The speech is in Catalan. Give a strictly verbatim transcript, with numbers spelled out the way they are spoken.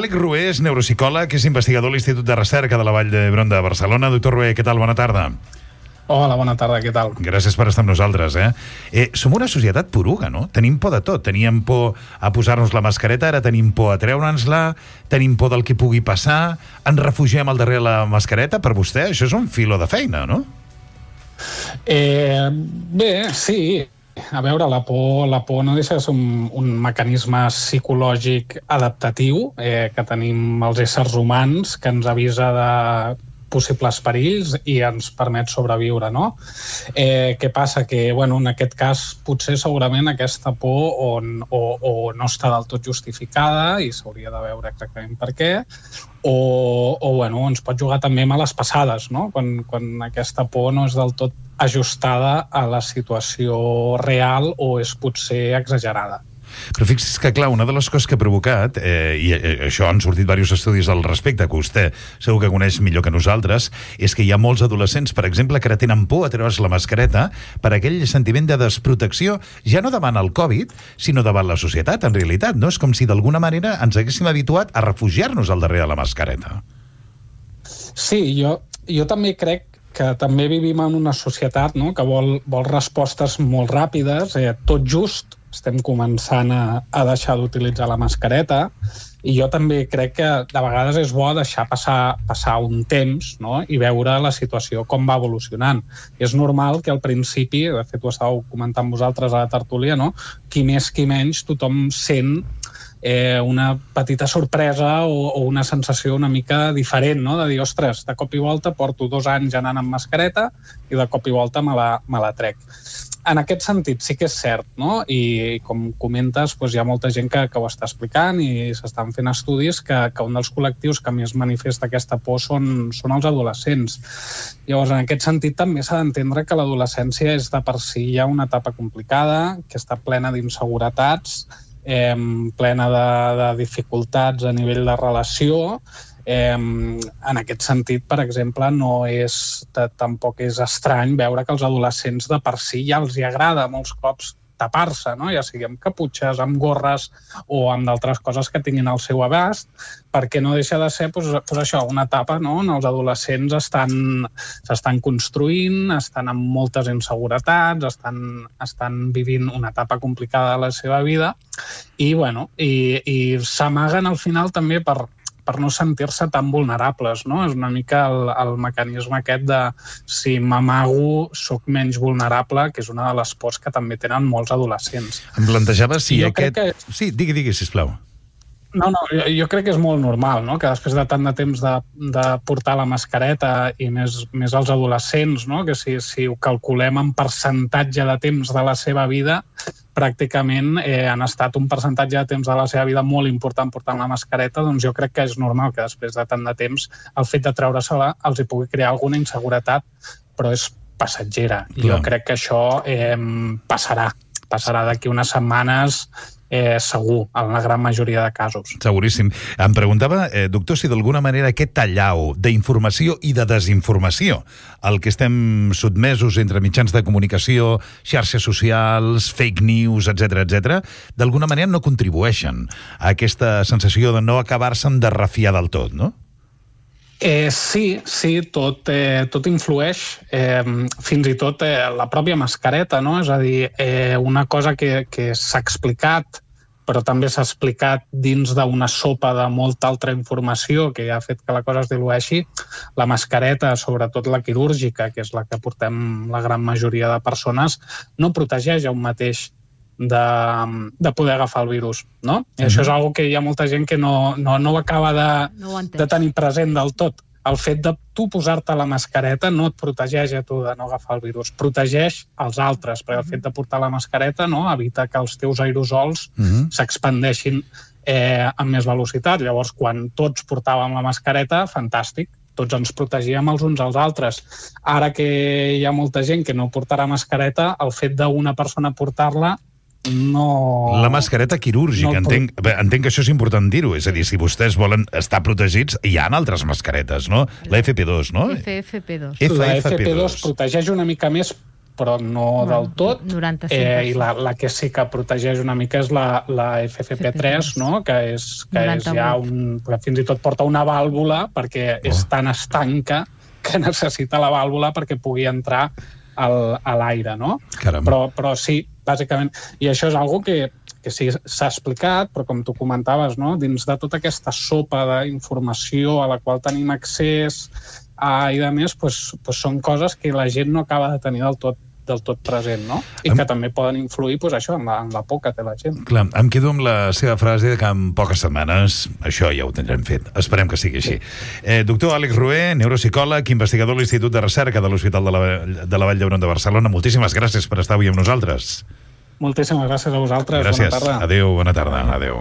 Àlex Rué és neuropsicòleg, és investigador a l'Institut de Recerca de la Vall d'Hebron de Barcelona. Doctor Rué, què tal? Bona tarda. Hola, bona tarda, què tal? Gràcies per estar amb nosaltres, eh? eh som una societat poruga, no? Tenim por de tot. Teníem por a posar-nos la mascareta, ara tenim por a treure'ns-la, tenim por del que pugui passar, ens refugiem al darrere la mascareta. Per vostè, això és un filo de feina, no? Eh, bé, sí. A veure, la por, la por no deixa de ser un, un mecanisme psicològic adaptatiu eh, que tenim els éssers humans, que ens avisa de possibles perills i ens permet sobreviure, no? Eh, què passa? Que, bueno, en aquest cas, potser segurament aquesta por o, o, o no està del tot justificada i s'hauria de veure exactament per què, o, o bueno, ens pot jugar també males passades, no? Quan, quan aquesta por no és del tot ajustada a la situació real o és potser exagerada. Però fixi's que, clar, una de les coses que ha provocat, eh, i eh, això han sortit diversos estudis al respecte, que vostè segur que coneix millor que nosaltres, és que hi ha molts adolescents, per exemple, que ara tenen por a treure's la mascareta per aquell sentiment de desprotecció, ja no davant el Covid, sinó davant la societat, en realitat, no? És com si d'alguna manera ens haguéssim habituat a refugiar-nos al darrere de la mascareta. Sí, jo, jo també crec que també vivim en una societat, no?, que vol, vol respostes molt ràpides, eh, tot just estem començant a, a deixar d'utilitzar la mascareta, i jo també crec que de vegades és bo deixar passar, passar un temps, no?, i veure la situació com va evolucionant. És normal que al principi, de fet ho estàveu comentant vosaltres a la tertúlia, no?, qui més qui menys tothom sent Eh, una petita sorpresa o, o una sensació una mica diferent, no?, de dir, ostres, de cop i volta porto dos anys anant amb mascareta i de cop i volta me la, me la trec. En aquest sentit sí que és cert, no?, i com comentes, doncs hi ha molta gent que, que ho està explicant i s'estan fent estudis que, que un dels col·lectius que més manifesta aquesta por són, són els adolescents. Llavors, en aquest sentit també s'ha d'entendre que l'adolescència és de per si ja una etapa complicada, que està plena d'inseguretats, Eh, plena de, de dificultats a nivell de relació. Eh, en aquest sentit, per exemple, no és, tampoc és estrany veure que els adolescents de per si ja els hi agrada molts cops tapar-se, no?, ja sigui amb caputxes, amb gorres o amb d'altres coses que tinguin al seu abast, perquè no deixa de ser doncs, doncs això, una etapa, no?, on els adolescents estan, s'estan construint, estan amb moltes inseguretats, estan, estan vivint una etapa complicada de la seva vida i, bueno, i, i s'amaguen al final també per per no sentir-se tan vulnerables, no? És una mica el, el mecanisme aquest de si m'amago soc menys vulnerable, que és una de les pors que també tenen molts adolescents. Em plantejava si jo aquest... Que... Sí, digui, digui, sisplau. No, no, jo, jo crec que és molt normal, no?, que després de tant de temps de, de portar la mascareta i més, més els adolescents, no?, que si, si ho calculem en percentatge de temps de la seva vida, pràcticament eh, han estat un percentatge de temps de la seva vida molt important portant la mascareta, doncs jo crec que és normal que després de tant de temps el fet de treure-se-la els hi pugui crear alguna inseguretat, però és passatgera. Clar. Jo crec que això eh, passarà, passarà d'aquí unes setmanes, Eh, segur, en la gran majoria de casos. Seguríssim. Em preguntava, eh, doctor, si d'alguna manera aquest tallau d'informació i de desinformació al que estem sotmesos entre mitjans de comunicació, xarxes socials, fake news, etcètera, etcètera, d'alguna manera no contribueixen a aquesta sensació de no acabar-se'n de refiar del tot, no? Eh, sí, sí, tot, eh, tot influeix, eh, fins i tot eh, la pròpia mascareta, no? És a dir, eh, una cosa que, que s'ha explicat, però també s'ha explicat dins d'una sopa de molta altra informació que ja ha fet que la cosa es dilueixi, la mascareta, sobretot la quirúrgica, que és la que portem la gran majoria de persones, no protegeix a un mateix de, de poder agafar el virus, no? I això és una que hi ha molta gent que no, no, no ho acaba de, no ho de tenir present del tot. El fet de tu posar-te la mascareta no et protegeix a tu de no agafar el virus, protegeix els altres, perquè el fet de portar la mascareta, no?, evita que els teus aerosols uh-huh. s'expandeixin eh, amb més velocitat. Llavors, quan tots portàvem la mascareta, fantàstic, tots ens protegíem els uns als altres. Ara que hi ha molta gent que no portarà mascareta, el fet d'una persona portar-la no... La mascareta quirúrgica, no entenc, entenc que això és important dir-ho, és a dir, si vostès volen estar protegits, hi ha altres mascaretes, no? La F P dos, no? F F P dos. La F P dos protegeix una mica més però no bueno, del tot. noranta-cinc per cent. Eh, I la, la que sí que protegeix una mica és la, la F F P tres, no? que, és, que és ja un, fins i tot porta una vàlvula perquè oh. és tan estanca que necessita la vàlvula perquè pugui entrar al, a l'aire, no? Però, però sí, bàsicament. I això és algo que que sí, s'ha explicat, però com tu comentaves, no? Dins de tota aquesta sopa d'informació a la qual tenim accés a, i de més, pues, pues són coses que la gent no acaba de tenir del tot, del tot present, no? I que em... també poden influir pues, això, en, la, en la por que té la gent. Clar, em quedo amb la seva frase de que en poques setmanes això ja ho tindrem fet. Esperem que sigui així. Sí. Eh, doctor Àlex Rué, neuropsicòleg, investigador de l'Institut de Recerca de l'Hospital de la, de la Vall d'Hebron de Barcelona. Moltíssimes gràcies per estar avui amb nosaltres. Moltíssimes gràcies a vosaltres. Gràcies. Bona tarda. Adéu, bona tarda. Adéu.